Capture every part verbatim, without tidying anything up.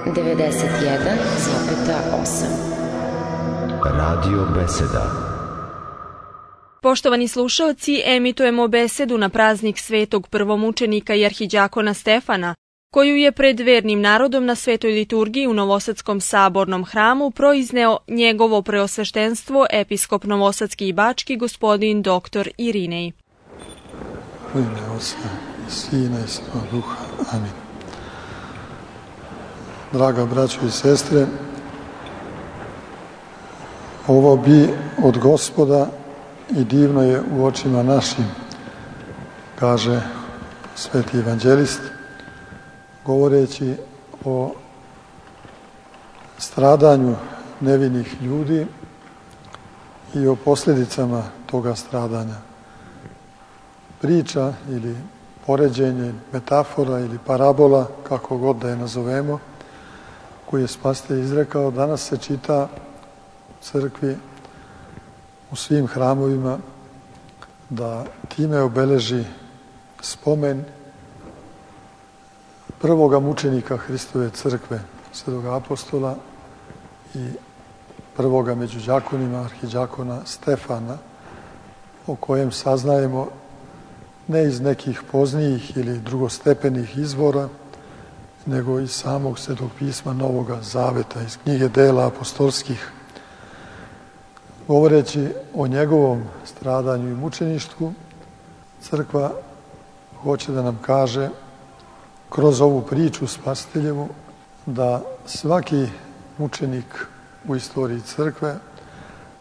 devedeset jedan zarez osam. Radio Beseda. Poštovani slušaoci, emitujemo besedu na praznik svetog prvomučenika i arhidjakona Stefana, koju je pred vernim narodom na svetoj liturgiji u Novosadskom sabornom hramu proizneo njegovo preosveštenstvo episkop novosadski i bački gospodin doktor Irinej. U ime Oca i Sina i Svetog Duha. Amin. Draga braćo i sestre, ovo bi od Gospoda i divno je u očima našim, kaže sveti evanđelist, govoreći o stradanju nevinih ljudi i o posljedicama toga stradanja. Priča ili poređenje, metafora ili parabola, kako god da je nazovemo, koju je Spasitelj izrekao, danas se čita u crkvi, u svim hramovima, da time obeleži spomen prvoga mučenika Hristove crkve, svetog apostola i prvoga među đakonima, arhidjakona Stefana, o kojem saznajemo ne iz nekih poznijih ili drugostepenih izvora, nego iz samog Svetog pisma Novoga Zaveta, iz knjige Dela apostolskih. Govoreći o njegovom stradanju i mučeništvu, crkva hoće da nam kaže kroz ovu priču Spasiteljevu da svaki mučenik u istoriji crkve,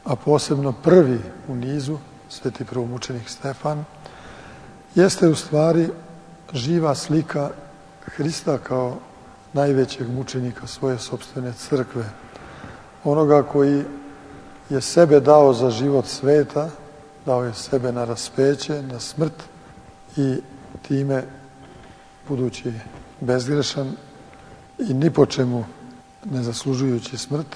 a posebno prvi u nizu, sveti prvomučenik Stefan, jeste u stvari živa slika Hrista kao najvećeg mučenika svoje sopstvene crkve. Onoga koji je sebe dao za život sveta, dao je sebe na raspeće, na smrt i time, budući bezgrešan i ni po čemu ne zaslužujući smrt,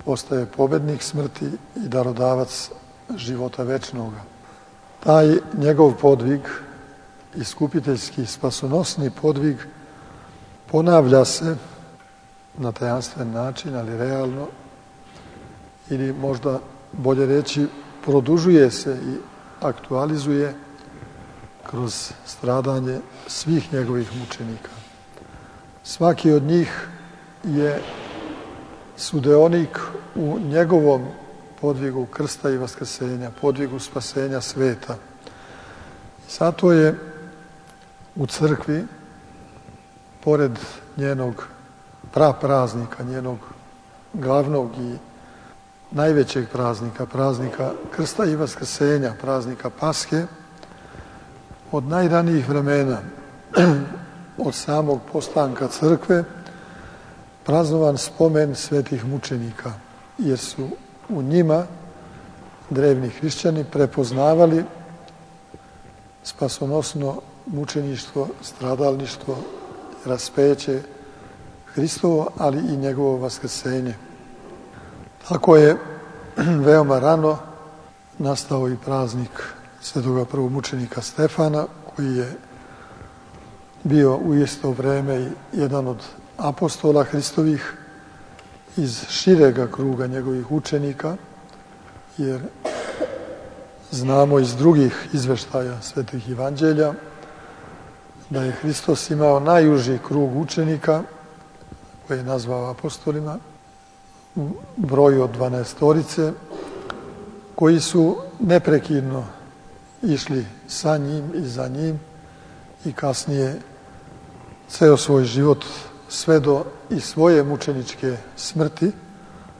postaje pobednik smrti i darodavac života večnoga. Taj njegov podvig, iskupiteljski spasonosni podvig, ponavlja se na tajanstven način, ali realno, ili možda bolje reći, produžuje se i aktualizuje kroz stradanje svih njegovih mučenika. Svaki od njih je sudeonik u njegovom podvigu krsta i vaskrsenja, podvigu spasenja sveta. Zato je u crkvi, pored njenog prapraznika, njenog glavnog i najvećeg praznika, praznika krsta i vaskrsenja, praznika Paske, od najranijih vremena, od samog postanka crkve, praznovan spomen svetih mučenika, jer su u njima drevni hrišćani prepoznavali spasonosno mučeništvo, stradalništvo, raspeće Hristovo, ali i njegovo vaskrsenje. Tako je veoma rano nastao i praznik svetoga prvomučenika Stefana, koji je bio u isto vreme i jedan od apostola Hristovih iz širega kruga njegovih učenika, jer znamo iz drugih izveštaja svetih evanđelja da je Hristos imao najuži krug učenika, koji je nazvao apostolima, u broju od dvanaestorice, koji su neprekidno išli sa njim i za njim i kasnije ceo svoj život sve do i svoje mučeničke smrti